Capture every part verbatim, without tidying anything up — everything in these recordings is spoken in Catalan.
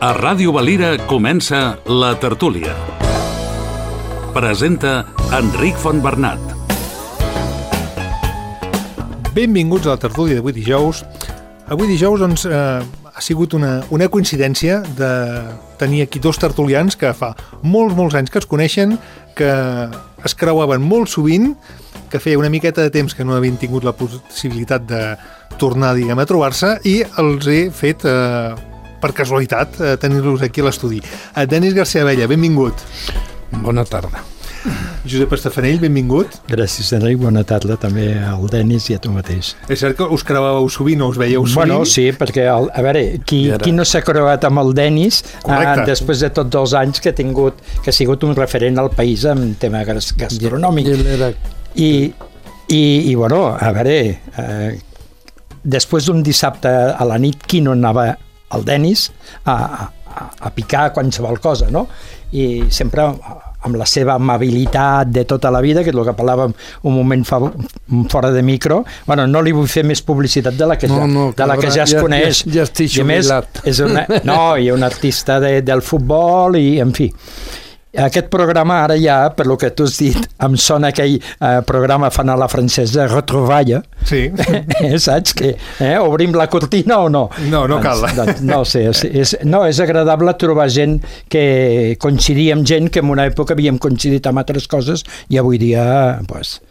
A Ràdio Valira comença La Tertúlia. Presenta Enric Fontbernat. Benvinguts a La Tertúlia d'avui dijous. Avui dijous doncs, eh, ha sigut una, una coincidència de tenir aquí dos tertulians que fa molts, molts anys que es coneixen, que es creuaven molt sovint, que feia una miqueta de temps que no havien tingut la possibilitat de tornar, diguem, a trobar-se, i els he fet, eh, per casualitat, eh, tenir-los aquí a l'estudi. Eh, Denis García Abella, benvingut. Bona tarda. Josep Estafanell, benvingut. Gràcies, Enric. Bona tarda també al Denis i a tu mateix. És cert que us creuàveu sovint o us veieu sovint? Bueno, sí, perquè, el, a veure, qui, ara... qui no s'ha creuat amb el Denis eh, després de tots els anys que ha tingut, que ha sigut un referent al país en tema gastronòmic. I, i, i bueno, a veure, eh, després d'un dissabte a la nit, qui no anava al Denis a, a, a picar qualsevol cosa, no? I sempre amb la seva amabilitat de tota la vida, que és el que parlàvem un moment fa, fora de micro. Bueno, no li vull fer més publicitat de la que ja, no, no, de la que ja es ja, coneix. Ja, ja estic jubilat. És una, no, i un artista de, del futbol i, en fi. Aquest programa ara ja, per lo que tu has dit, em sona aquell eh, programa fan a la francesa, Retrouvaille. Sí. Eh, saps? Que, eh, obrim la cortina o no? No, no cal. Doncs, doncs, no sé, és, és, no, és agradable trobar gent que coincidir amb gent que en una època havíem coincidit amb altres coses i avui dia, pues,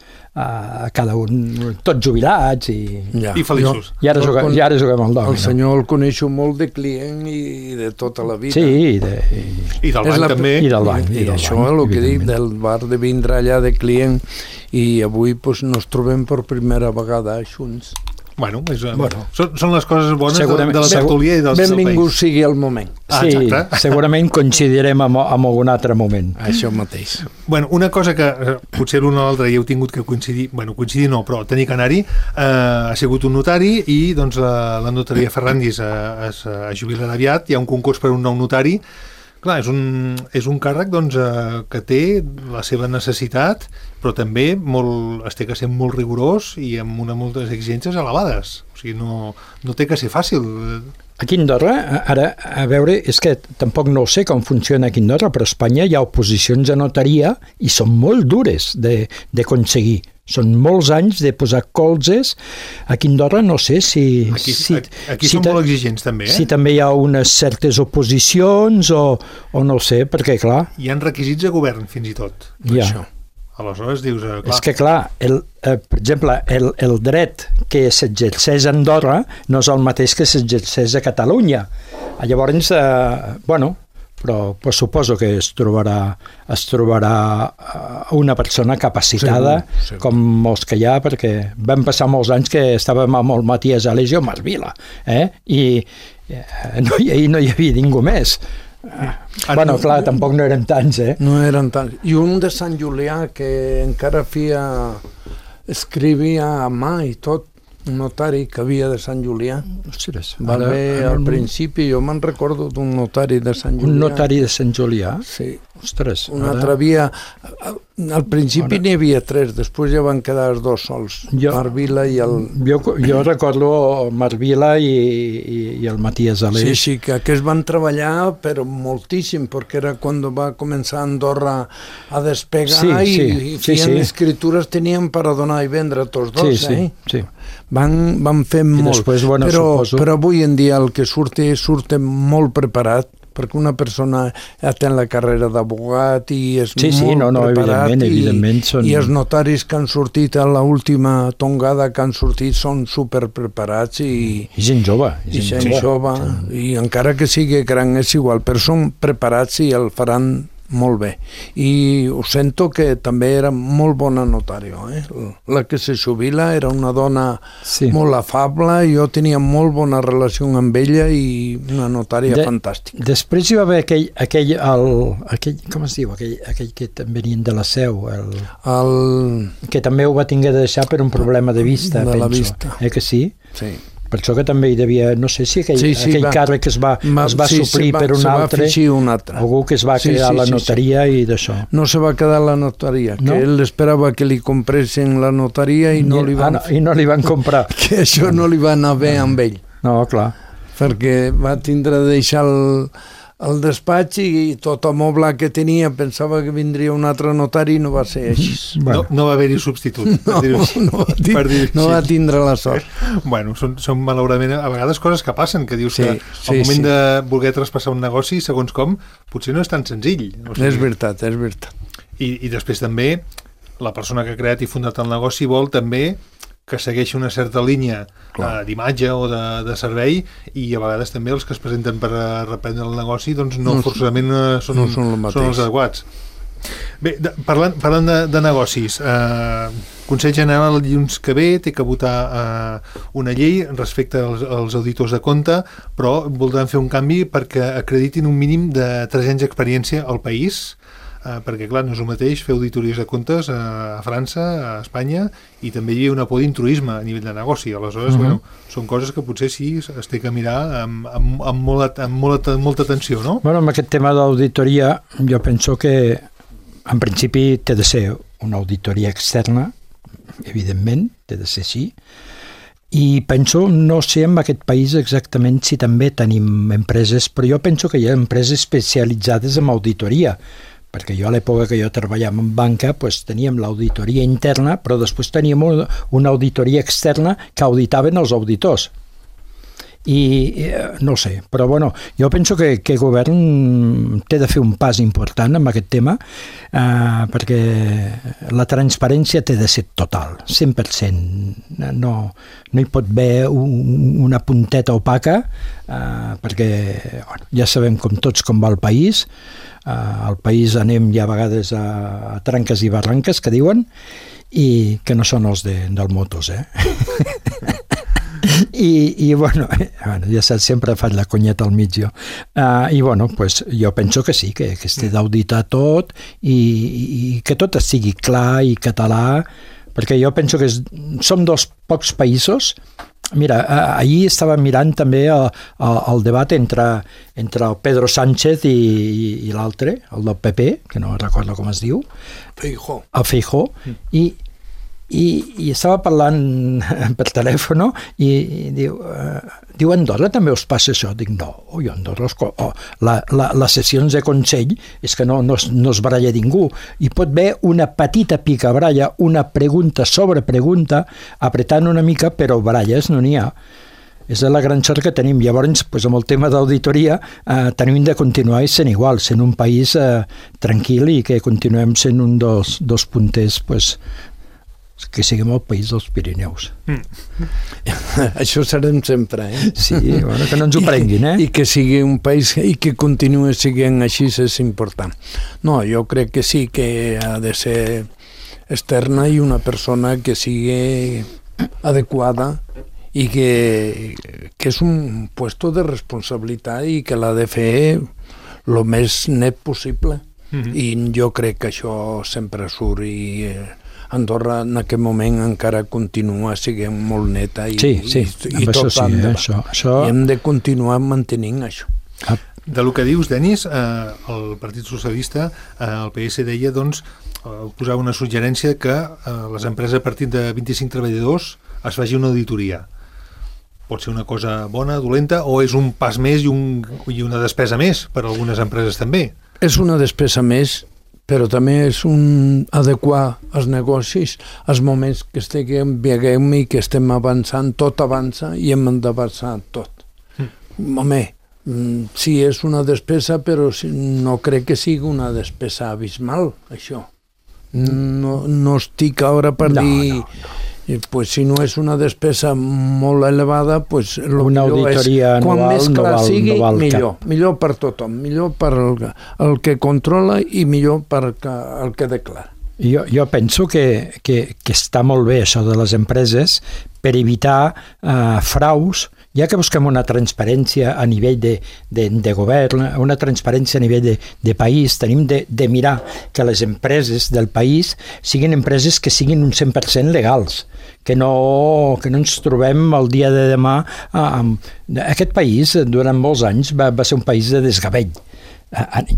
a cada un, tots jubilats i, ja. I feliços. I ara juguem, i ara juguem al dòmino. El senyor el coneixo molt de client i de tota la vida. Sí, i, de, i, i del banc la, també. I del banc. I, i i del això banc, és el que dic, del bar de vindre allà de client, i avui pues, nos trobem per primera vegada junts. Bueno, és, bueno. Són, són les coses bones de, de la tertúlia i del, benvingut del país. Sigui el moment. Ah, sí, exacte. Segurament coincidirem amb, amb algun altre moment. Això mateix. Bueno, una cosa que eh, potser l'un o l'altre hi heu tingut que coincidir, bueno, coincidir no, però tenir que anar-hi, eh, ha sigut un notari i doncs la, la notaria Ferrandis eh, es, es jubilarà aviat, hi ha un concurs per un nou notari. Clar, és un, és un càrrec doncs, eh, que té la seva necessitat, però també molt, es té que ser molt rigorós i amb una moltes exigències elevades. O sigui, no, no té que ser fàcil. Aquí a Andorra, ara, a veure, és que tampoc no sé com funciona aquí a Andorra, però a Espanya hi ha oposicions a notaria i són molt dures d'aconseguir. Són molts anys de posar colzes. Aquí a Andorra no sé si... Aquí, si, aquí si són molt exigents també, eh? Si també hi ha unes certes oposicions o, o no ho sé, perquè clar... Hi ha requisits de govern fins i tot. Ja. Això. Aleshores dius... Eh, clar. És que clar, el, eh, per exemple, el, el dret que s'exerceix a Andorra no és el mateix que s'exerceix a Catalunya. Llavors, eh, bueno... però pues, suposo que es trobarà, es trobarà una persona capacitada, segur, segur. Com molts que hi ha, perquè vam passar molts anys que estàvem amb el Matías Alesio a Marvila, eh? I eh, no, hi, no hi havia ningú més. Ah, bueno, clar, tampoc no eren tants, eh? No eren tants. I un de Sant Julià que encara feia... escrivia a mà i tot, un notari que havia de Sant Julià. Ostres, va ara, haver ara, al principi, jo me'n recordo d'un notari de Sant Julià. Un notari de Sant Julià? Sí. Ostres. Un ara... altre havia... Al principi n'hi havia tres, després ja van quedar els dos sols, jo, Marvila i el... Jo, jo recordo Marvila i, i, i el Matías Aleix. Sí, sí, que aquests van treballar però moltíssim, perquè era quan va començar Andorra a despegar sí, i, sí, i feien sí, sí. escritures, tenien per a donar i vendre tots dos, sí, eh? Sí, sí. Van, van fer I molt, després, bueno, però, suposo... però avui en dia el que surt surt molt preparat, perquè una persona ja té la carrera d'abogat i és sí, sí, molt no, no, preparat evidentment, i, evidentment són... i els notaris que han sortit a l'última tongada que han sortit són superpreparats i, I gent jove i, i gent jove, jove sí. I encara que sigui gran és igual, però són preparats i el faran molt bé. I ho sento que també era molt bona notària, eh? La que se jubila era una dona sí. molt afable, jo tenia molt bona relació amb ella i una notària de, fantàstica. Després hi va haver aquell, aquell, el, aquell com es diu, aquell, aquell que també venien de la Seu, el, el... que també ho va tinguer de deixar per un problema de vista, de penso. La vista. Eh que sí? Sí. Per això que també hi devia, no sé si aquell, sí, sí, aquell va, càrrec es va, va, es va sí, suplir va, per un altre, un altre, algú que es va sí, crear sí, la sí, notaria sí. I d'això. No se va quedar la notaria, no? Que ell esperava que li compressin la notaria i no, I, li, van, ah, no, i no li van comprar. Que això no li va anar bé amb ell. No, clar. Perquè va tindre de deixar el, al despatx i tot el moble que tenia pensava que vindria un altre notari i no va ser així. Bueno. No, no va haver-hi substitut. No, no, va dir, no va tindre la sort. Bueno, són, són malauradament a vegades coses que passen, que dius sí, que sí, al moment sí. de voler traspassar un negoci, segons com, potser no és tan senzill. O sigui, és veritat, és veritat. I, I després també la persona que ha creat i fundat el negoci vol també que segueixi una certa línia uh, d'imatge o de, de servei, i a vegades també els que es presenten per a reprendre el negoci doncs no, no forçosament uh, són, no són, són els adequats. Bé, de, parlant, parlant de, de negocis, eh, Consell General el dilluns que ve té que votar eh, una llei respecte als, als auditors de compte, però voldran fer un canvi perquè acreditin un mínim de tres anys d'experiència al país, Uh, perquè clar, no és el mateix fer auditories de comptes a, a França, a Espanya, i també hi ha una por d'intruisme a nivell de negoci. Aleshores, uh-huh. bueno, són coses que potser sí es té que mirar amb, amb, amb, molt, amb, molta, amb molta atenció, no? Bueno, amb aquest tema d'auditoria jo penso que en principi té de ser una auditoria externa, evidentment, té de ser així, i penso, no sé en aquest país exactament si també tenim empreses, però jo penso que hi ha empreses especialitzades en auditoria, perquè jo a l'època que jo treballava en banca pues, teníem l'auditoria interna, però després teníem una, una auditoria externa que auditaven els auditors. I eh, no sé, però bueno, jo penso que, que el govern té de fer un pas important en aquest tema, eh, perquè la transparència té de ser total, cent per cent. No, no hi pot haver un, una punteta opaca, eh, perquè bueno, ja sabem com tots com va el país. Uh, al país anem ja a vegades a, a tranques i barranques, que diuen, i que no són els de, del motos, eh? I, i bueno, bueno, ja saps, sempre faig la conyeta al mig jo. Uh, I bueno, pues, jo penso que sí, que, que es té d'auditar tot i, i que tot estigui clar i català, perquè jo penso que és, som dos pocs països. Mira, ahir estava mirant també el, el, el debat entre, entre el Pedro Sánchez i, i, i l'altre, el del P P, que no recordo com es diu. Feijó. El Feijó. Mm. I, i, I estava parlant per telèfon i, i diu, uh, diu, Andorra també us passa això? Dic, no, oi, Andorra, oh, la, la, les sessions de Consell és que no, no, no es baralla ningú. Hi pot haver una petita picabralla, una pregunta sobre pregunta, apretant una mica, però baralles no n'hi ha. És la gran sort que tenim. Llavors, pues, amb el tema d'auditoria, eh, tenim de continuar sent igual, sent un país eh, tranquil i que continuem sent un dels, dels punters pues, que siguem el país dels Pirineus. Mm. Això serem sempre, eh? Sí, bueno, que no ens ho prenguin, eh? I, I que sigui un país i que continuï sent així és important. No, jo crec que sí que ha de ser externa i una persona que sigui adequada i que, que és un puesto de responsabilitat i que l'ha de fer el més net possible. Mm-hmm. I jo crec que això sempre surt i eh, Andorra en aquest moment encara continua sent molt neta i, sí, sí, i, i tot això sí, eh, això, això... I hem de continuar mantenint això. Ah. De lo que dius, Denis, eh, el Partit Socialista, eh, el P S deia, doncs, eh, posava una suggerència que eh, les empreses a partir de vint-i-cinc treballadors es faci una auditoria. Pot ser una cosa bona, dolenta, o és un pas més i, un, i una despesa més per a algunes empreses també? És una despesa més, però també és un adequar els negocis als moments que estiguem, veiem i que estem avançant, tot avança i hem d'avançar tot. Mm. Home, sí, és una despesa, però no crec que sigui una despesa abismal, això. No, no estic ara per no, dir... No, no. Pues si no és una despesa molt elevada, pues lo una auditoria és, quan anual més clar no val, sigui, no val millor. Cap. Millor per tothom, millor per el, el que controla i millor per el que declara. Jo, jo penso que, que, que està molt bé això de les empreses per evitar eh, fraus, ja que busquem una transparència a nivell de, de, de govern, una transparència a nivell de, de país, tenim de, de mirar que les empreses del país siguin empreses que siguin un cent per cent legals, que no, que no ens trobem el dia de demà amb... Aquest país durant molts anys va, va ser un país de desgavell.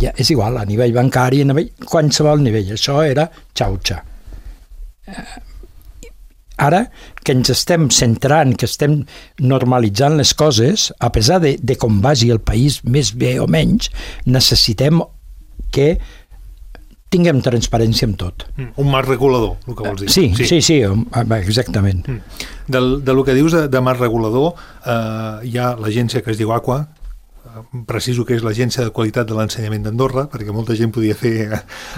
Ja, és igual, a nivell bancari, a nivell, qualsevol nivell, això era xauxa. ara que ens estem centrant, que estem normalitzant les coses, a pesar de, de com vagi el país més bé o menys, necessitem que tinguem transparència en tot. Un marc regulador, el que vols dir. Sí, sí, sí, sí exactament. Del, de lo que dius de, de marc regulador, eh, hi ha l'agència que es diu AQUA, preciso que és l'Agència de Qualitat de l'Ensenyament d'Andorra, perquè molta gent podia fer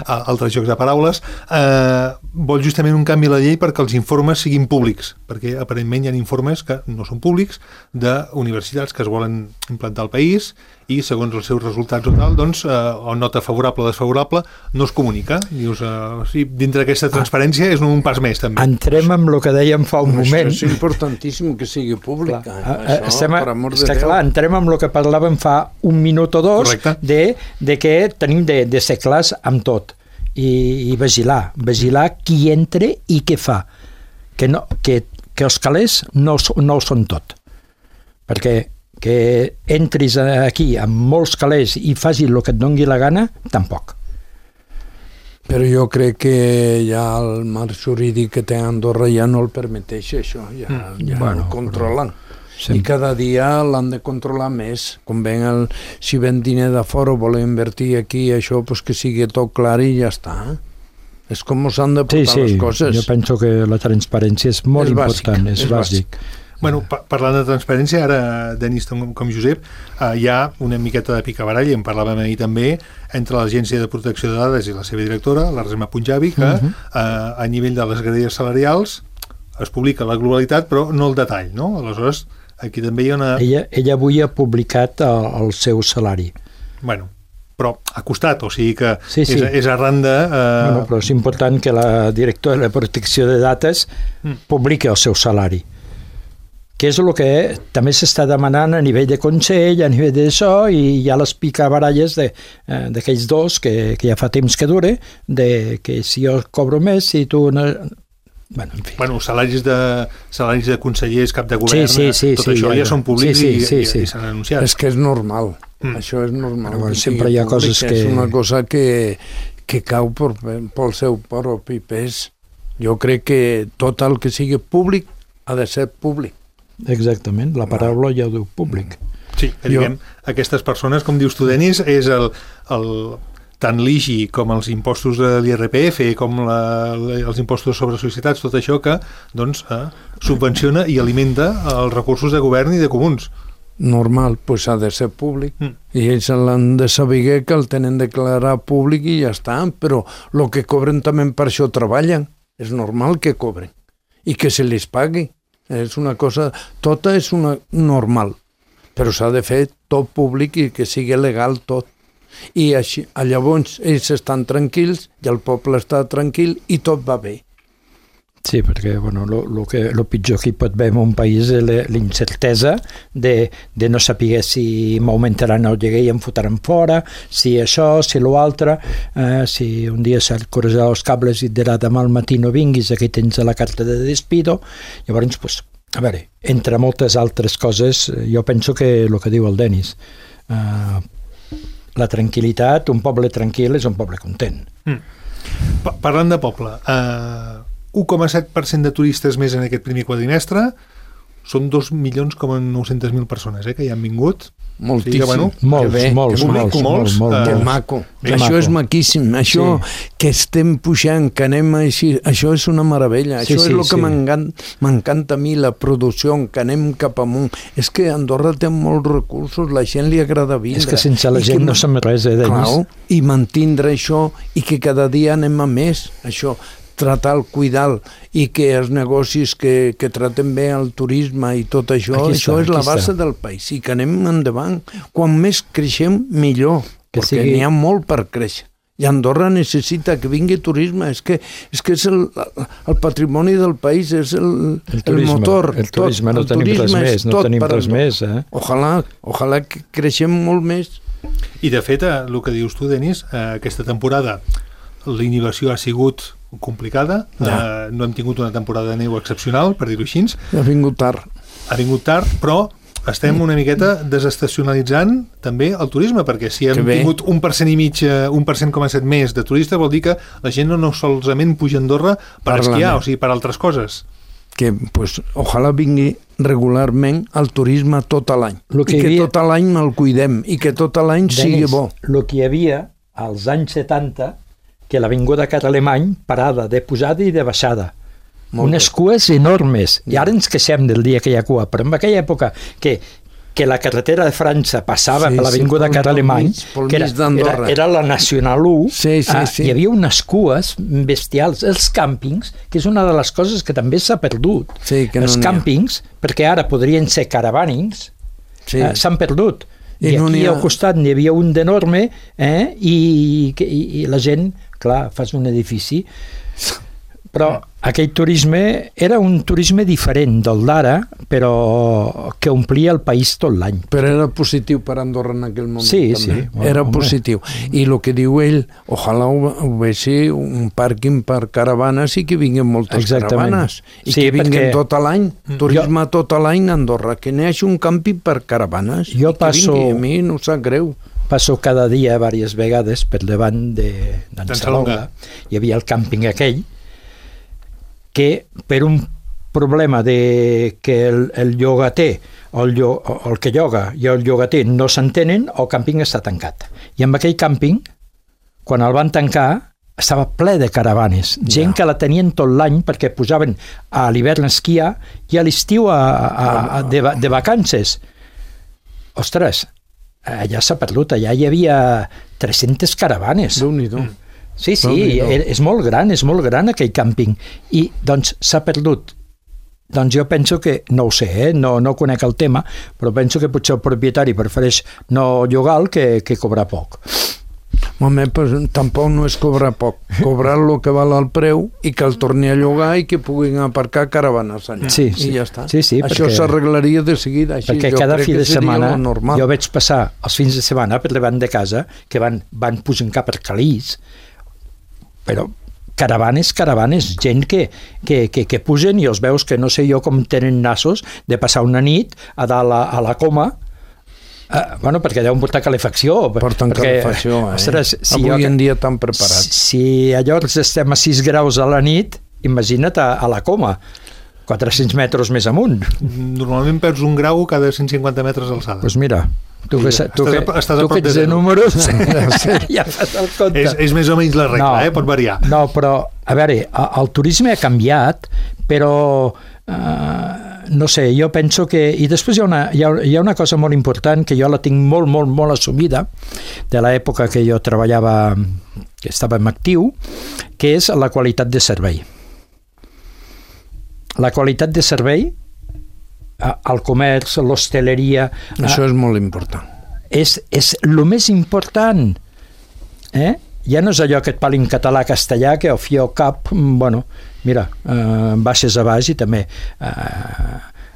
altres jocs de paraules, eh, vol justament un canvi a la llei perquè els informes siguin públics, perquè aparentment hi ha informes que no són públics d'universitats que es volen implantar al país i segons els seus resultats o tal, doncs, eh, o nota favorable o desfavorable, no es comunica. Dius, eh, sí, dintre d'aquesta transparència és un pas més, també. Entrem amb el que dèiem fa un Això moment. és importantíssim que sigui pública. Clar, eh? Això, estem a, per amor de està Déu. clar, entrem amb el que parlàvem fa un minut o dos de, de que tenim de, de ser clars amb tot i, i vigilar, vigilar qui entra i què fa. Que, no, que, que els calés no, no ho són tot. Perquè que entris aquí amb molts calés i facis el que et doni la gana, tampoc. Però jo crec que ja el marc jurídic que té Andorra ja no el permeteix, això, ja, ja bueno, el controlen. Sempre. I cada dia l'han de controlar més. Com ven el, si ven diner de fora o volen invertir aquí, això, pues que sigui tot clar i ja està. És com s'han de portar sí, sí. les coses. Jo penso que la transparència és molt és important, bàsic, és, és bàsic. bàsic. Bueno, pa parlant de transparència, ara, Denis, com, com Josep, eh, hi ha una miqueta de picabarall, i en parlàvem ahir també, entre l'Agència de Protecció de Dades i la seva directora, la Resma Punjabi, que uh -huh. eh, a nivell de les graelles salarials es publica la globalitat, però no el detall, no? Aleshores, aquí també hi ha una... Ella, ella avui ha publicat el, el seu salari. Bueno, però ha costat, o sigui que sí, sí. És, és arran de... Eh... Bueno, però és important que la directora de Protecció de Dades mm. publiqui el seu salari, que és el que també s'està demanant a nivell de Consell, a nivell d'això, i hi ha les picabaralles d'aquells eh, dos que, que ja fa temps que dure, de que si jo cobro més, si tu... No... Bueno, en fi. Bueno, salaris de, salaris de consellers, cap de govern, sí, sí, sí, tot sí, això ja, ja són públics sí, sí, sí, i, sí. i, i s'han anunciat. És que és normal, mm. això és normal. Bueno, sempre hi ha públic, coses que... És una cosa que, que cau per, pel seu propi pes. Jo crec que tot el que sigui públic ha de ser públic. Exactament, la paraula ja ho diu públic. Sí, que diguem, jo... aquestes persones, com dius tu, Denis, és el, el, tant l'I G I com els impostos de l'I R P F, com la, els impostos sobre societats, tot això que doncs, eh, subvenciona i alimenta els recursos de govern i de comuns. Normal, doncs ha de ser públic. Mm. I ells l'han de saber que el tenen de declarar públic i ja està, però el que cobren també per això treballen. És normal que cobren i que se les pagui. És una cosa, tota és una normal, però s'ha de fer tot públic i que sigui legal tot. I així, llavors ells estan tranquils i el poble està tranquil i tot va bé. Sí, perquè bueno, lo, lo, que, lo pitjor que hi pot haver en un país és la incertesa de, de no saber si m'augmentaran el lloguer i em fotran fora, si això, si l'altre, eh, si un dia se't correjarà els cables i et dirà demà al matí no vinguis, aquí tens la carta de despido. Llavors, pues, a veure, entre moltes altres coses, jo penso que el que diu el Denis, eh, la tranquil·litat, un poble tranquil és un poble content. Mm. Pa Parlant de poble, eh... un coma set per cent de turistes més en aquest primer quadrimestre, són dos milions com nou-centes mil persones eh, que hi han vingut. Moltíssim. Sí, que, bueno, molts, bé, molts, que molts, molts, molts, que molts. maco. Que això maco. És maquíssim. Això sí. Que estem pujant, que anem així, això és una meravella. Sí, això sí, és el que sí. m'encanta a mi, la producció, que anem cap amunt. És que Andorra té molts recursos, la gent li agrada vindre. És que sense la gent no som res, eh, Denis? Clar, i mantindre això i que cada dia anem a més. Això tratar, cuidar i que els negocis que, que traten bé el turisme i tot això, aquí això està, és la base està. del país i que anem endavant. Quan més creixem, millor, que perquè sigui... n'hi ha molt per créixer. I Andorra necessita que vingui turisme, és que és, que és el, el patrimoni del país, és el, el, turisme, el motor. El turisme, tot, no el tenim turisme res més, no tenim res més. Eh? Ojalà, ojalà que creixem molt més. I de fet, el que dius tu, Denis, aquesta temporada la inhibició ha sigut complicada, ja. eh, no hem tingut una temporada de neu excepcional, per dir-ho així. Ha vingut tard. Ha vingut tard, però estem una miqueta desestacionalitzant també el turisme, perquè si hem tingut un per cent i mig, un per cent coma set més de turistes, vol dir que la gent no, no solament puja a Andorra per esquiar, o sigui, per altres coses. que pues, ojalà vingui regularment el turisme tot l'any. I que havia... tot l'any me'l cuidem i que tot l'any sigui bo. El que hi havia als anys setanta, que l'Avinguda Car Alemany parada de posada i de baixada. Molt unes bé. Cues enormes. I ara ens queixem del dia que hi ha cua, però en aquella època que que la carretera de França passava sí, per l'Avinguda sí, Car Alemany, que era, era, era la Nacional u, sí, sí, ah, sí. hi havia unes cues bestials, els càmpings, que és una de les coses que també s'ha perdut. Sí, que no els càmpings, perquè ara podrien ser caravanings, sí. eh, s'han perdut. I, I no aquí ha... al costat n'hi havia un d'enorme, eh, i, i, i la gent, clar, fas un edifici... Però aquell turisme era un turisme diferent del d'ara, però que omplia el país tot l'any. Però era positiu per Andorra en aquell moment. Sí, també. sí. Bueno, era home. Positiu. I el que diu ell, ojalà ho, ho vegi un pàrquing per caravanes i que vinguin moltes Exactament. Caravanes. I sí, que vinguin perquè... tot l'any, turisme jo... tot l'any a Andorra, que n'hi hagi un càmping per caravanes. Jo I passo... que vingui, a mi no sap greu. Passo cada dia, diverses vegades, per davant de d'en Salonga. Hi havia el càmping aquell, que per un problema de que el, el llogater o el, llo, o el que lloga i el llogater no s'entenen, el càmping està tancat. I amb aquell càmping, quan el van tancar, estava ple de caravanes. Gent ja. Que la tenien tot l'any perquè posaven a l'hivern a esquiar i a l'estiu a, a, a, de, de vacances. Ostres, allà s'ha perdut. Allà hi havia tres-centes caravanes. Déu-n'hi-do. Sí, sí, és molt gran, és molt gran aquell càmping. I, doncs, s'ha perdut. Doncs jo penso que, no ho sé, eh? no, no conec el tema, però penso que potser el propietari prefereix no llogar-lo que, que cobrar poc. Home, pues, tampoc no és cobrar poc. Cobrar el que val el preu i que el torni a llogar i que puguin aparcar caravanes allà. Sí, sí. I ja està. Sí, sí, això perquè... s'arreglaria de seguida. Així, perquè jo cada crec fi de setmana jo vaig passar els fins de setmana per davant de casa que van, van posant cap per Calís, però caravanes, caravanes, gent que, que, que, que pugen i els veus que no sé jo com tenen nassos de passar una nit a dalt a, a la coma, eh, bueno, perquè deuen portar calefacció. Porten perquè, calefacció, eh? Ostres, si avui jo, en dia tan preparats. Si, si allò estem a sis graus a la nit, imagina't a, a la coma, quatre-cents metres més amunt. Normalment perds un grau cada cent cinquanta metres d'alçada. Doncs pues mira, tu que, sí, tu que, estàs tu que ets de, de números ja fas el compte. És, és més o menys la regla, no, eh? Pot variar. No, però, a veure, el turisme ha canviat, però eh, no sé, jo penso que... I després hi ha, una, hi, ha, hi ha una cosa molt important que jo la tinc molt, molt, molt assumida de l'època que jo treballava, que estava en actiu, que és la qualitat de servei. La qualitat de servei al comerç, l'hostaleria... Això és molt important. És, és el més important. Eh? Ja no és allò que et parli en català-castellà, que al fi al cap, bueno, mira, eh, baixes a baix i també eh,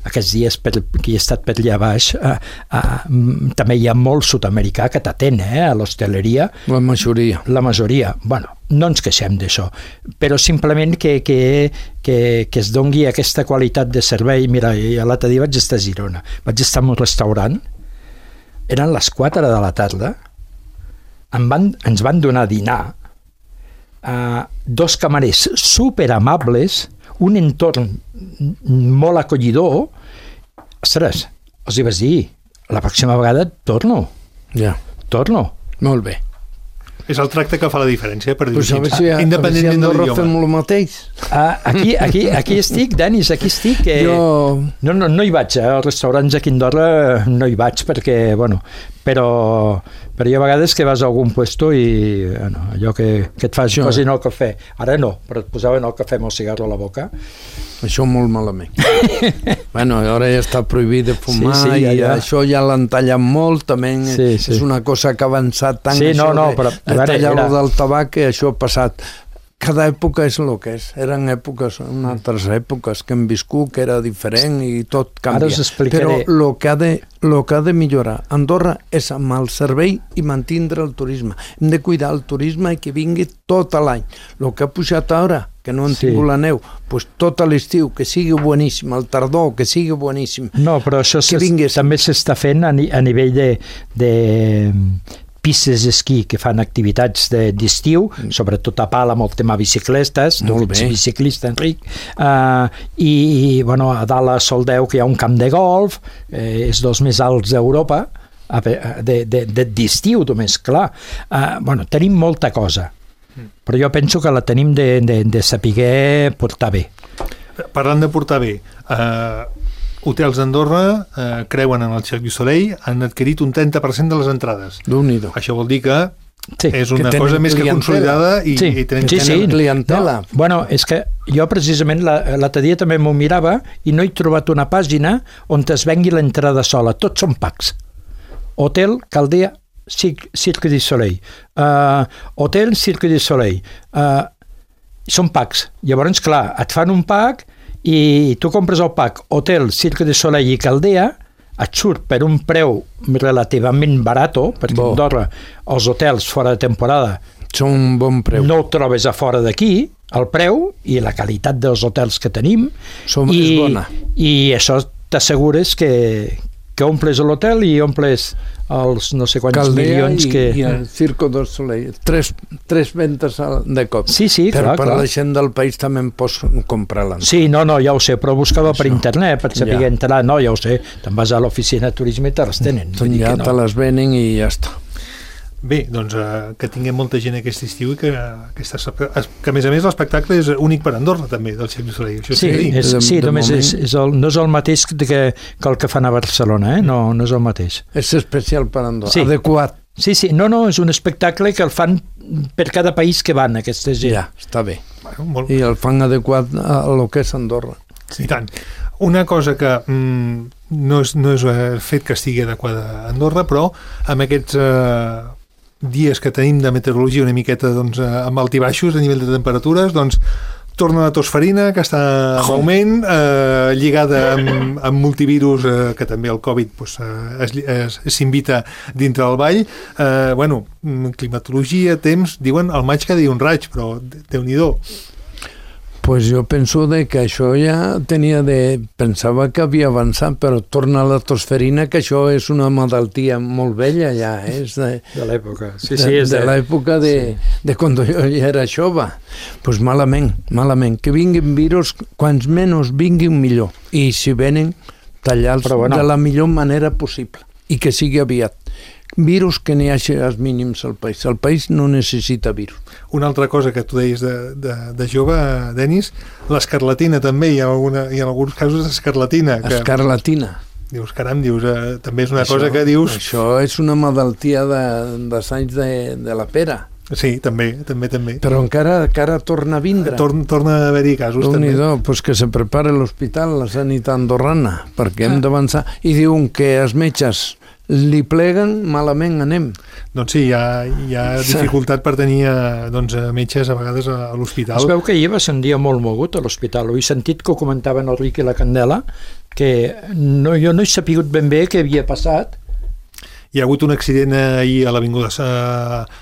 aquests dies per, que he estat per allà baix, eh, eh, també hi ha molt sud-americà que t'atén eh, a l'hostaleria. La majoria. La majoria. Bueno, no ens queixem d'això, però simplement que, que, que, que es dongui aquesta qualitat de servei. Mira, l'altre dia vaig estar a Girona, vaig estar en un restaurant, eren les quatre de la tarda, em van, ens van donar a dinar, uh, dos camarers superamables, un entorn molt acollidor. Ostres, els hi vaig dir, la pròxima vegada torno. Ja. Torno. Molt bé. És el tracte que fa la diferència, per dir-ho així. Si independentment de l'idioma. Fem el mateix. Ah, aquí, aquí, aquí estic, Denis, aquí estic. Eh, jo... No, no, no hi vaig, eh? Als restaurants aquí a Andorra no hi vaig, perquè, bueno, però, però hi ha vegades que vas a algun puesto i bueno, allò que, que et fas jo... posin el cafè. Ara no, però et posaven el cafè amb el cigarro a la boca. Això molt malament. Bueno, ara ja està prohibit de fumar sí, sí, ja, ja. I això ja l'han tallat molt, també sí, sí. És una cosa que ha avançat tant, sí, això no, no, de, però, de tallar era... del tabac, que això ha passat. Cada època és el que és. Eren èpoques, en altres èpoques que hem viscut, que era diferent i tot canvia. Ara us explicaré. Però el que, ha de, lo que ha de millorar Andorra és amb el servei i mantindre el turisme. Hem de cuidar el turisme i que vingui tot l'any. El que ha pujat ara, que no han sí. tingut la neu, pues tot l'estiu, que sigui boníssim, el tardor, que sigui boníssim. No, però això també s'està fent a, ni, a nivell de, de pistes d'esquí que fan activitats d'estiu, de, sobretot a Pala amb el tema bicicletes, tu ets biciclista, Enric, uh, i, i bueno, a dalt a Soldeu que hi ha un camp de golf, eh, és dels més alts d'Europa, d'estiu només, clar. Uh, bueno, tenim molta cosa, però jo penso que la tenim de, de, de saber portar bé. Parlant de portar bé, eh, hotels d'Andorra eh, creuen en el Cirque du Soleil, han adquirit un trenta per cent de les entrades. Déu-n'hi-do. Això vol dir que sí, és una que cosa més que consolidada i, sí, i tenim sí, sí. clientela. No, bueno, és que jo precisament l'altre dia també m'ho mirava i no he trobat una pàgina on es vengui l'entrada sola. Tots són packs. Hotel Caldea Cirque du Soleil. Uh, Hotel Cirque du Soleil. Uh, són packs. Llavors, clar, et fan un pack i tu compres el pack Hotel Cirque du Soleil i Caldea, et surt per un preu relativament barato, perquè Bo. Andorra els hotels fora de temporada són un bon preu. No ho trobes a fora d'aquí, el preu i la qualitat dels hotels que tenim. Som, i, és bona. I això t'assegures que, que omples l'hotel i omples els no sé quants Caldea milions i, que... i el Cirque du Soleil. Tres, tres ventes de cop. Sí, sí, per, clar, per clar. la gent del país també en pots comprar l'entrada. Sí, no, no, ja ho sé, però buscava Això. per internet per saber Ja. entrar. No, ja ho sé, te'n vas a l'oficina de turisme i te les tenen. Vull dir Ja que no. te les venen i ja està. Bé, doncs eh, que tinguem molta gent aquest estiu i que, aquesta, que a més a més l'espectacle és únic per Andorra també, del Cirque du Soleil. Això Sí, sí, és, De- sí de només moment- és, és el, no és el mateix que, que el que fan a Barcelona, eh? no, no és el mateix. És especial per Andorra, Sí. adequat. Sí, sí, no, no, és un espectacle que el fan per cada país que van, aquesta gent. Ja, està bé. bueno, molt, I el fan adequat a lo que és Andorra. sí. I tant. Una cosa que mm, no, és, no és el fet que estigui adequada a Andorra, però amb aquests eh, dies que tenim de meteorologia una miqueta doncs, eh, amb altibaixos a nivell de temperatures, doncs torna la tosferina, que està en augment, eh, lligada amb, amb multivirus, eh, que també el Covid pues, eh, es, es, s'invita dintre del ball. Eh, bueno, climatologia, temps, diuen el maig cada dia un raig, però Déu-n'hi-do. Pues jo penso de que això ja tenia de... Pensava que havia avançat, però torna a la tosferina, que això és una malaltia molt vella ja, és de, De l'època. Sí, de, sí, és de, de, l'època de, sí. de quan jo ja era jove. Pues malament, malament. Que vinguin virus, quants menys vinguin millor. I si venen, tallar-los bueno. de la millor manera possible. I que sigui aviat. Virus que n'hi hagi als mínims al país. El país no necessita virus. Una altra cosa que tu deies de, de, de jove, Denis, l'escarlatina també, hi ha, alguna, hi ha alguns casos d'escarlatina. Que, Escarlatina. dius, caram, dius, eh, també és una Això- cosa que dius... Això és una malaltia de, de anys de, de la pera. Sí, també, també, també. Però encara, encara torna a vindre. Torn, torna a haver-hi casos, també. Déu-n'hi-do, pues que se prepara l'hospital, la sanitat andorrana, perquè hem d'avançar. I diuen que els metges li pleguen, malament anem. Doncs sí, hi ha, hi ha dificultat per tenir eh, doncs, metges a vegades a, a l'hospital. Es veu que ahir va ser un dia molt mogut a l'hospital. Ho he sentit que ho comentaven el Ric i la Candela, que no, jo no he sapigut ben bé què havia passat. Hi ha hagut un accident ahir a l'Avinguda Sa...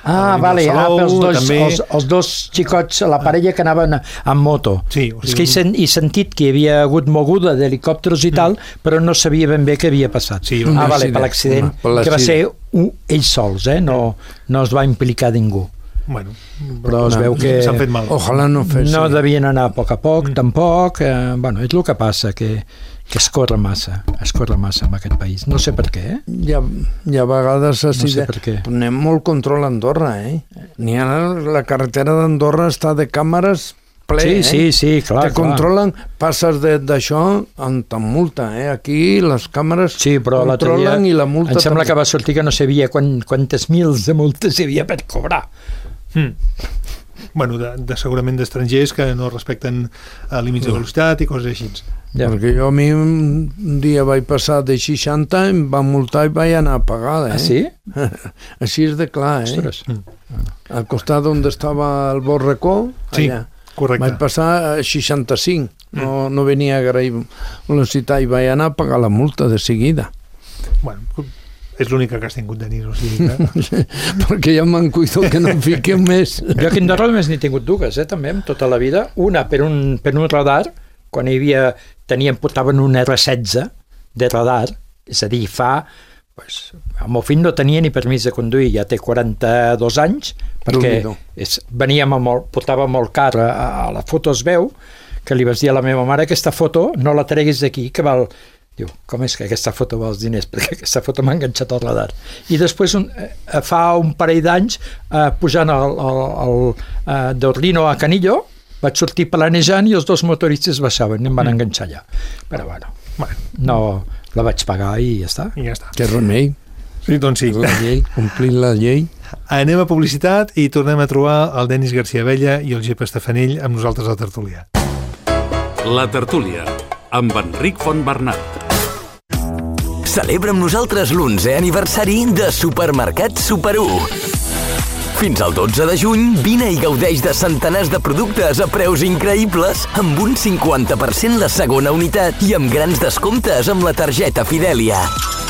Ah, vale, ah, pels dos, també... els, els dos xicots, la parella que anaven amb moto. Sí, o sigui, És que he, sen, he sentit que hi havia hagut moguda d'helicòpters i tal, però no sabia ben bé què havia passat. Sí, un ah, vale, accident. per l'accident, Per l'accident. que va ser un, ells sols, eh? no, no es va implicar ningú. Bueno, Però es veu que s'han fet mal. Ojalà no fes. no devien anar a poc a poc, tampoc. Eh, bueno, és el que passa, que, que es corre massa, es corre massa en aquest país. No sé per què, eh? Hi ha, hi ha vegades... No Així sé de- per què. Anem molt control a Andorra, eh? N'hi ha, la carretera d'Andorra està de càmeres ple, Sí, eh? sí, sí, clar, Te clar. controlen, passes de- d'això amb tan multa, eh? Aquí les càmeres Sí, però l'altre dia controlen i la multa em sembla també. que va sortir que no sabia quan, quantes mils de multes hi havia per cobrar. Mm. Bueno, de, de segurament d'estrangers que no respecten eh, límits de velocitat i coses així. Ja. Perquè jo a mi un dia vaig passar de seixanta, em van multar i vaig anar a pagar, eh? Ah, sí? Així és de clar, eh? Ostres. Al costat on estava el Borracó, Sí, allà. correcte. Vaig passar a seixanta-cinc, no, no venia a agrair velocitat i vaig anar a pagar la multa de seguida. Bueno, és l'única que has tingut, Denis, o sigui que... Perquè ja me'n cuido que no em fiquem més. Jo aquí a Andorra només n'he tingut dues, eh, també, en tota la vida. Una per un, per un radar, quan hi havia, tenien, portaven un erre setze de radar, és a dir, fa pues, el meu fill no tenia ni permís de conduir, ja té quaranta-dos anys, perquè és, veníem amb el, portava molt car, a, a la foto es veu que li vaig dir a la meva mare, aquesta foto no la treguis d'aquí, que val... Diu, com és que aquesta foto val els diners? Perquè aquesta foto m'ha enganxat al radar. I després, un, eh, fa un parell d'anys, eh, pujant el, el, el, eh, d'Orlino a Canillo, vaig sortir planejant i els dos motoristes baixaven i em van mm. enganxar allà. Però bueno, bueno, no la vaig pagar i ja està. I ja està. Que remei. Sí, doncs sí. La llei, complir la llei. Anem a publicitat i tornem a trobar el Denis García Abella i el Gep Estefanell amb nosaltres a la tertúlia. La tertúlia, amb Enric Fontbernat. Celebra amb nosaltres l'onzè aniversari de Supermercat Super u. Fins al dotze de juny, vine i gaudeix de centenars de productes a preus increïbles, amb un cinquanta per cent la segona unitat i amb grans descomptes amb la targeta Fidèlia.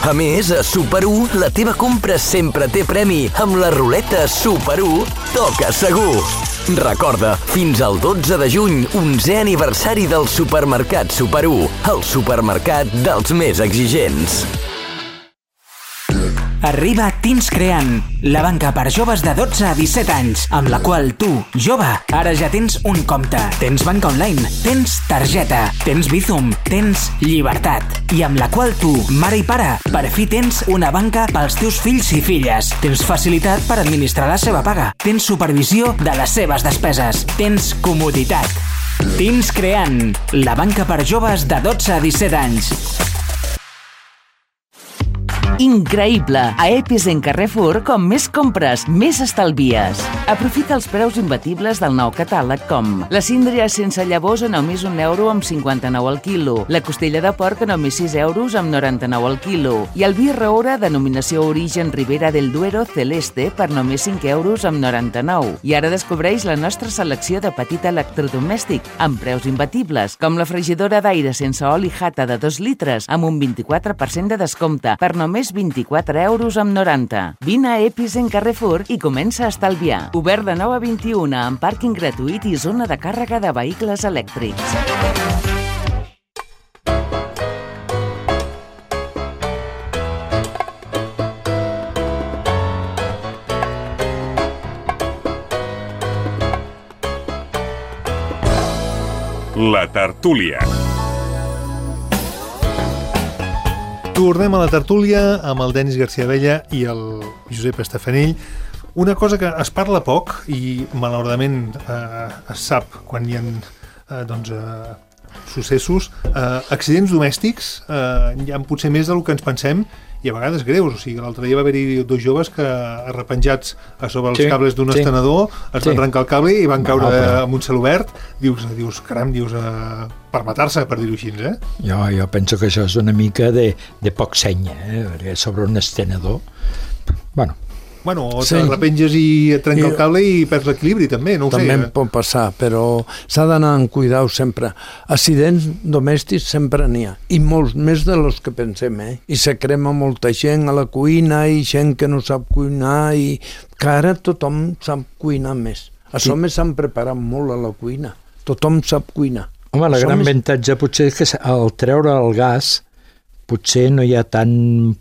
A més, a Super u, la teva compra sempre té premi amb la ruleta Super u Toca Segur. Recorda, fins al dotze de juny, onzè aniversari del Supermercat Super u, el supermercat dels més exigents. Arriba Teens Creant, la banca per joves de dotze a disset anys, amb la qual tu, jove, ara ja tens un compte, tens banca online, tens targeta, tens Bizum, tens llibertat, i amb la qual tu, mare i pare, per fi tens una banca pels teus fills i filles, tens facilitat per administrar la seva paga, tens supervisió de les seves despeses, tens comoditat. Teens Creant, la banca per joves de dotze a disset anys. Increïble! A Epizen Carrefour, com més compres, més estalvies. Aprofita els preus imbatibles del nou catàleg com la síndria sense llavors a només un euro amb cinquanta-nou al quilo, la costella de porc a només sis euros amb noranta-nou al quilo i el vi Roure denominació origen Ribera del Duero Celeste per només cinc euros amb noranta-nou. I ara descobreix la nostra selecció de petit electrodomèstic amb preus imbatibles, com la fregidora d'aire sense oli Jata de dos litres amb un vint-i-quatre per cent de descompte per només vint-i-quatre euros amb noranta. Vine a Epizen Carrefour i comença a estalviar. Obert de nou a vint-i-una amb pàrquing gratuït i zona de càrrega de vehicles elèctrics. La tertúlia. Tornem a la tertúlia amb el Denis García Abella i el Josep Estefanell. Una cosa que es parla poc i malauradament eh, es sap quan hi ha eh, doncs, eh, successos, eh, accidents domèstics eh, hi ha potser més del que ens pensem i a vegades greus. O sigui, l'altre dia va haver-hi dos joves que arrepenjats a sobre els sí, cables d'un sí. estenedor es sí. van trencar el cable i van caure no, però... amb un celobert. Dius, dius caram, dius, eh, per matar-se, per dir-ho així, eh? Jo, jo penso que això és una mica de, de poc seny, eh? Perquè sobre un estenedor... Bueno, Bueno, o sí. te repenges i et trenca I, el cable i perds l'equilibri, també, no ho també sé. També pot passar, però s'ha d'anar amb cuidau sempre. Accidents domèstics sempre n'hi ha, i molts més de los que pensem, eh? I se crema molta gent a la cuina i gent que no sap cuinar i que ara tothom sap cuinar més. A sí. Som s'han preparat molt a la cuina. Tothom sap cuinar. Home, la Som gran més... avantatge potser és que al treure el gas potser no hi ha tant...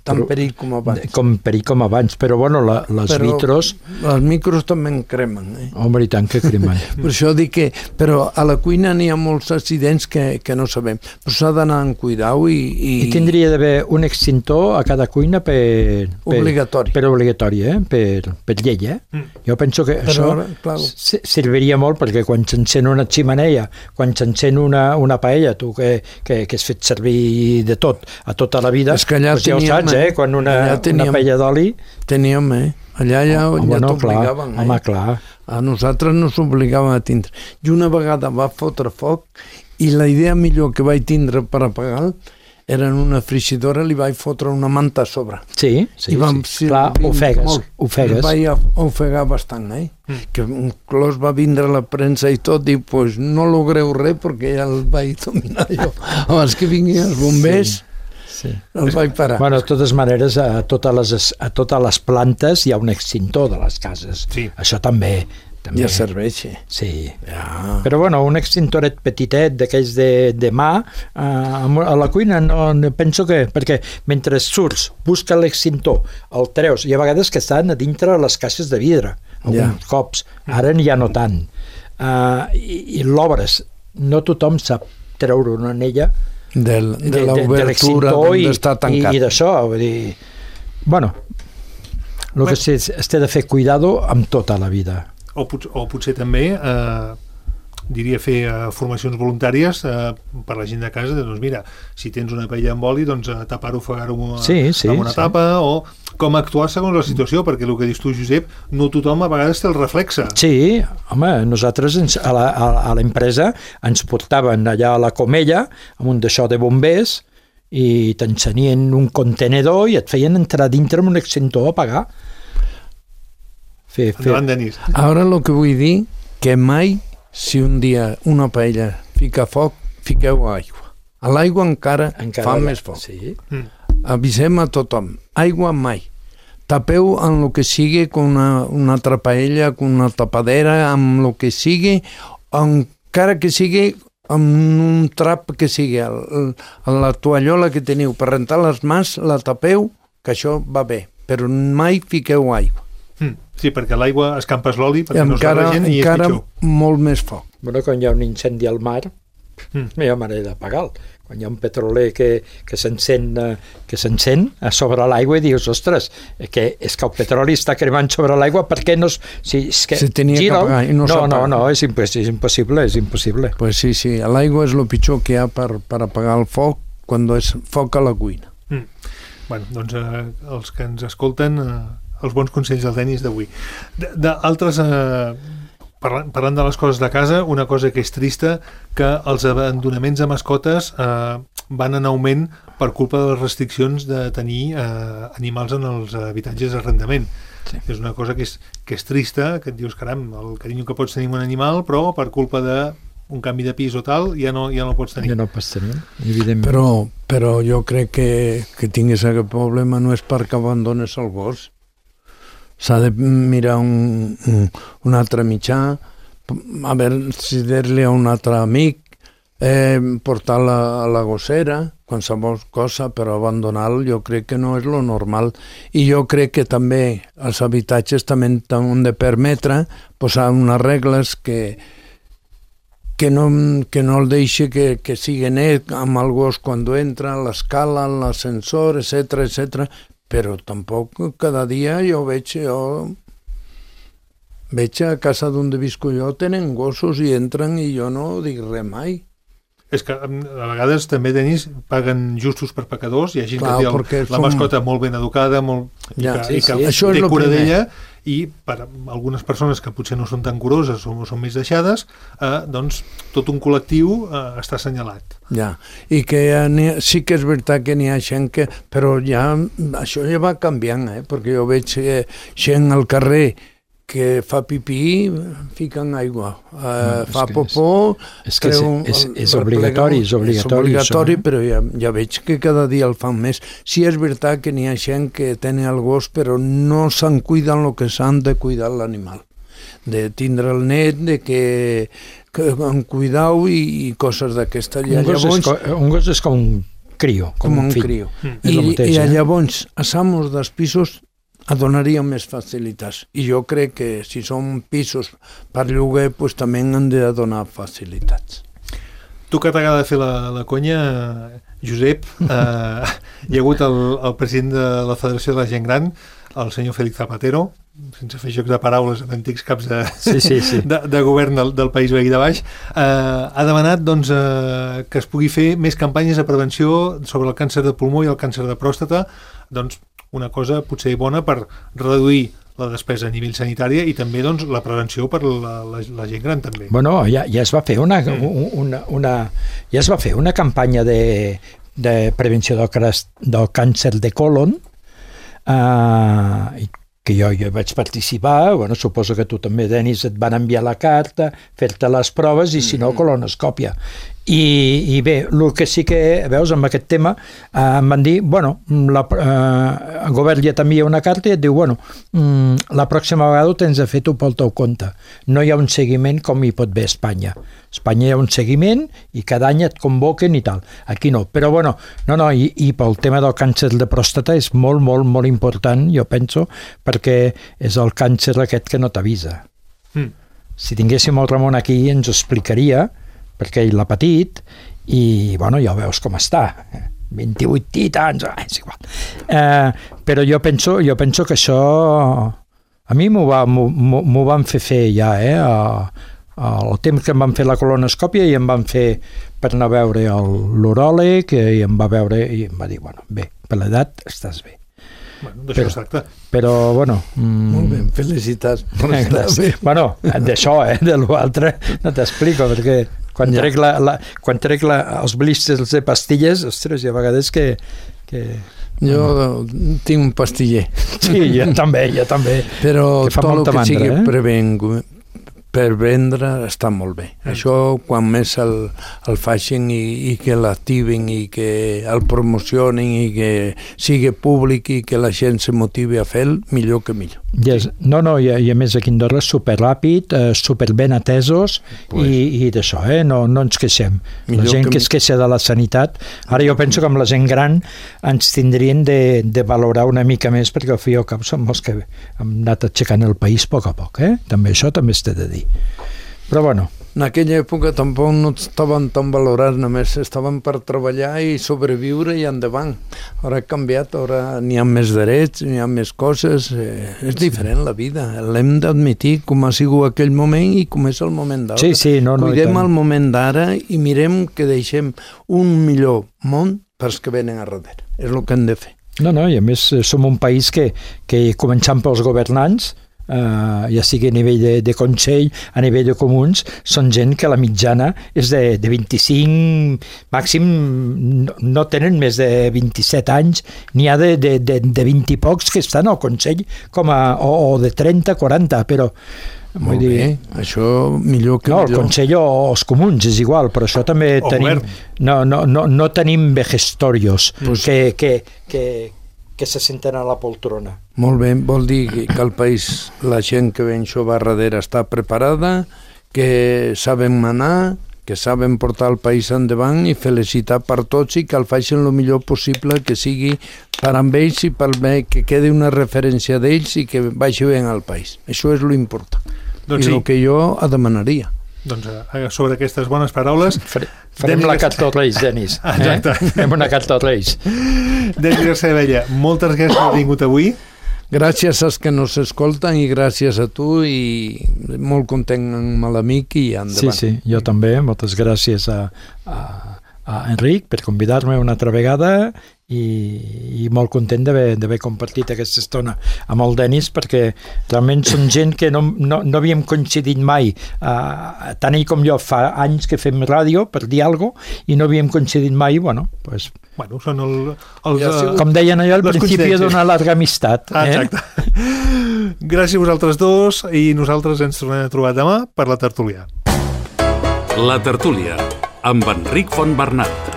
Tan perill com abans. Com perill com abans, però bueno, la, les però vitros... Els micros també en cremen, eh? Home, i tant que cremen. Per això dic que... Però a la cuina n'hi ha molts accidents que, que no sabem. Però s'ha d'anar amb cuidau i... I, I tindria d'haver un extintor a cada cuina per... per obligatori. Per obligatori, eh? Per, per llei, eh? Mm. Jo penso que però, això clar. serviria molt perquè quan s'encén una ximeneia, quan s'encén una, una paella, tu que, que, que has fet servir de tot, a tota la vida, és que allà doncs ja ho saps, eh? Quan una, teníem, una paella d'oli... Teníem, eh? Allà ja, home, ja no, t'obligaven, eh? Home, clar. A nosaltres no s'obligaven a tindre. I una vegada va fotre foc i la idea millor que vaig tindre per apagar era en una frigidora, li vaig fotre una manta a sobre. Sí, sí, vam, sí. Clar, ofegues, ofegues. Vaig ofegar bastant, eh? Mm. Que un clos va vindre a la premsa i tot, i pues no logreu res perquè ja el vaig dominar jo. Abans que vinguin els bombers... Sí. Sí. El vaig parar. Bueno, de totes maneres, a totes les, a totes les plantes hi ha un extintor de les cases. Sí. Això també també. Ja serveixi. Sí. Ja. Però bueno, un extintoret petitet d'aquells de, de mà eh, a la cuina no, no penso que... Perquè mentre surts, busca l'extintor, el treus, i a vegades que estan a dintre les caixes de vidre, alguns ja. cops. Ara ja no tant. Uh, i, i l'obres. No tothom sap treure una anella Del, de, de l'obertura d'on està tancat. I, i d'això, vull dir... Bueno, el que es, es té de fer cuidado amb tota la vida. O, pot, o potser també, eh, diria, fer eh, formacions voluntàries eh, per la gent de casa, doncs mira, si tens una paella amb oli, doncs eh, tapar-ho, ofegar-ho amb, sí, sí, amb una sí. tapa, o com actuar segons la situació, perquè el que dius tu, Josep, no tothom a vegades té el reflexe. Sí, home, nosaltres ens, a, la, a, a l'empresa ens portaven allà a la Comella amb un d'això de bombers i t'ensenien un contenedor i et feien entrar dintre amb un extintor a apagar. Fer, fer. Endavant, Denis. Ara el que vull dir que mai, si un dia una paella fica foc, fiqueu aigua. A l'aigua encara, encara fa la... més foc. Sí. Mm. Avisem a tothom. Aigua mai. Tapeu amb el que sigui, con una, una altra paella, con una tapadera, amb el que sigui, encara que sigui amb un trap que sigui. El, el, la toallola que teniu per rentar les mans, la tapeu, que això va bé. Però mai fiqueu aigua. Mm. Sí, perquè l'aigua escampes l'oli perquè encara, no s'arregin i és encara pitjor. Molt més foc. Bueno, quan hi ha un incendi al mar, mm. no hi ha manera d'apagar-lo. Quan hi ha un petroler que, que s'encén que s'encén a sobre l'aigua i dius, ostres, que és que el petroli està cremant sobre l'aigua, per què no... Si, és que Se tenia gira, que apagar i no no, s'apaga. no, no, és, imposs és impossible, és impossible. Pues sí, sí, l'aigua és el pitjor que hi ha per, per apagar el foc quan és foc a la cuina. Mm. Bueno, doncs eh, els que ens escolten... Eh, els bons consells del Denis d'avui. D'altres, eh, parlant, parlant de les coses de casa, una cosa que és trista, que els abandonaments de mascotes eh, van en augment per culpa de les restriccions de tenir eh, animals en els habitatges d'arrendament. Sí. És una cosa que és, que és trista, que et dius, caram, el carinyo que pots tenir amb un animal, però per culpa de un canvi de pis o tal, ja no, ja no el pots tenir. Ja no pots tenir, evidentment. Però, però jo crec que, que tinguis aquest problema no és perquè abandones el gos. S'ha de mirar un, un, un altre mitjà, a veure si dir-li a un altre amic, eh, portar-la a la gossera, qualsevol cosa, però abandonar-lo jo crec que no és lo normal. I jo crec que també els habitatges també han de permetre posar unes regles que, que, no, que no el deixi que, que sigui net amb el gos quan entra, l'escala, l'ascensor, etcètera, etcètera. Però tampoc cada dia jo veig, jo veig a casa d'on visco jo tenen gossos i entren i jo no dic res mai. És que a vegades també, Denis, paguen justos per pecadors, hi ha gent Clar, que té el, la som... mascota molt ben educada, molt, ja, i que, sí, i que sí. té cura d'ella, i per algunes persones que potser no són tan curoses o són més deixades, eh, doncs tot un col·lectiu eh, està assenyalat. Ja, i que sí que és veritat que n'hi ha gent que... Però ja, això ja va canviant, eh? Perquè jo veig eh, gent al carrer que fa pipí, fiquen aigua, uh, no, fa popó... És que és, és, és obligatori, és obligatori. És obligatori, això, però ja, ja veig que cada dia el fan més. Sí, és veritat que n'hi ha gent que tenen el gos, però no se'n cuiden el que s'han de cuidar l'animal. De tindre el net, de que, que en cuidau i, i coses d'aquesta. Un, llavors, un gos és com un crio, com, com un, un fill. Crio. Mm. I, mateix, I eh? llavors, a amos dels pisos donaria més facilitats. I jo crec que si són pisos per lloguer, pues, també han de donar facilitats. Tu que t'agrada fer la, la conya, Josep, eh, hi ha hagut el, el president de la Federació de la Gent Gran, el senyor Félix Zapatero, sense fer jocs de paraules amb antics caps de, sí, sí, sí. de, de govern del, del País Veí de Baix, eh, ha demanat doncs, eh, que es pugui fer més campanyes de prevenció sobre el càncer de pulmó i el càncer de pròstata, doncs una cosa potser bona per reduir la despesa a nivell sanitari i també doncs, la prevenció per la, la, la gent gran també. Bueno, ja, ja es va fer una, mm. una, una, ja es va fer una campanya de, de prevenció del, del càncer de colon, eh, que jo, jo vaig participar, bueno, suposo que tu també, Denis, et van enviar la carta, fer-te les proves i, si no, colonoscòpia. I, i bé, el que sí que, veus, amb aquest tema, eh, em van dir, bueno, la, eh, el govern ja t'envia una carta i et diu, bueno, mm, la pròxima vegada ho tens de fer tu pel teu compte. No hi ha un seguiment com hi pot haver a Espanya. A Espanya hi ha un seguiment i cada any et convoquen i tal. Aquí no. Però, bueno, no, no, i, i pel tema del càncer de pròstata és molt, molt, molt important, jo penso, perquè és el càncer aquest que no t'avisa. Mm. Si tinguéssim el Ramon aquí ens ho explicaria, perquè ell l'ha patit i, bueno, ja veus com està. vint-i-vuit titans, és igual. Eh, però jo penso, jo penso que això a mi m'ho va, m'ho van fer fer ja, eh? A, a, el temps que em van fer la colonoscòpia i em van fer per anar a veure l'uròleg i em va veure i em va dir, bueno, bé, per l'edat estàs bé. Bueno, d'això es tracta. Però, bueno... Mm, molt bé, felicitats. Bueno, d'això, eh? De l'altre no t'explico, perquè quan ja. trec, la, la, quan trec la, els blisters de pastilles, ostres, hi ha vegades que... que jo no. tinc un pastiller. Sí, jo també, jo també. Però que fa tot el que mandra, sigui eh? prevent, per vendre està molt bé. Mm. Això, quan més el, el facin i, i que l'activen i que el promocionin i que sigui públic i que la gent se motivi a fer-lo, millor que millor. Yes. No, no, i a, i a més aquí a Andorra és superràpid, eh, superben atesos pues. i, i d'això, eh? no, no ens queixem. Millor la gent que, que es queixa de la sanitat, ara jo penso que amb la gent gran ens tindrien de, de valorar una mica més, perquè al fi i al cap som els que hem anat aixecant el país a poc a poc, eh? També això també es té de dir. Però bueno, en aquella època tampoc no estaven tan valorats, només estaven per treballar i sobreviure i endavant. Ara ha canviat, ara n'hi ha més drets, n'hi ha més coses, eh, és diferent la vida, l'hem d'admitir com ha sigut aquell moment i com és el moment d'ara. Sí, sí, no, no, cuidem el moment d'ara i mirem que deixem un millor món pels que venen a darrere, és el que hem de fer. No, no, i a més som un país que, que començant pels governants, Uh, ja sigui a nivell de, de Consell, a nivell de comuns, són gent que la mitjana és de, de vint-i-cinc, màxim no, no tenen més de vint-i-set anys, n'hi ha de, de, de, de vint i pocs que estan al Consell com a, o, o de trenta, quaranta, però molt dir, bé, això millor que no, millor. El Consell o els comuns és igual, però això també o tenim no, no, no, no tenim vejestorios pues, que, que, que que se senten a la poltrona. Molt bé, vol dir que al país la gent que ven això va darrere està preparada, que saben manar, que saben portar el país endavant i felicitar per tots i que el facin el millor possible, que sigui per amb ells i per bé, que quedi una referència d'ells i que vagi bé al país. Això és l'important. Doncs I sí. el que jo demanaria. Doncs sobre aquestes bones paraules... Farem Denis la carta als Reis, Denis. Exacte. Eh? Farem una carta als Reis. Denis García Abella, moltes gràcies per haver vingut avui. Gràcies als que nos escolten i gràcies a tu i molt content amb l'amic i endavant. Sí, sí, jo també. Moltes gràcies a, a, a Enric per convidar-me una altra vegada i, i molt content d'haver compartit aquesta estona amb el Denis, perquè realment són gent que no, no, no havíem coincidit mai, uh, tant ell com jo fa anys que fem ràdio per dir alguna cosa i no havíem coincidit mai. Bueno, pues, bueno són el, els, ja, com deien allò al principi d'una larga amistat. Ah, exacte. Eh? Gràcies a vosaltres dos i nosaltres ens tornem a trobar demà per la tertúlia. La tertúlia amb Enric Fontbernat.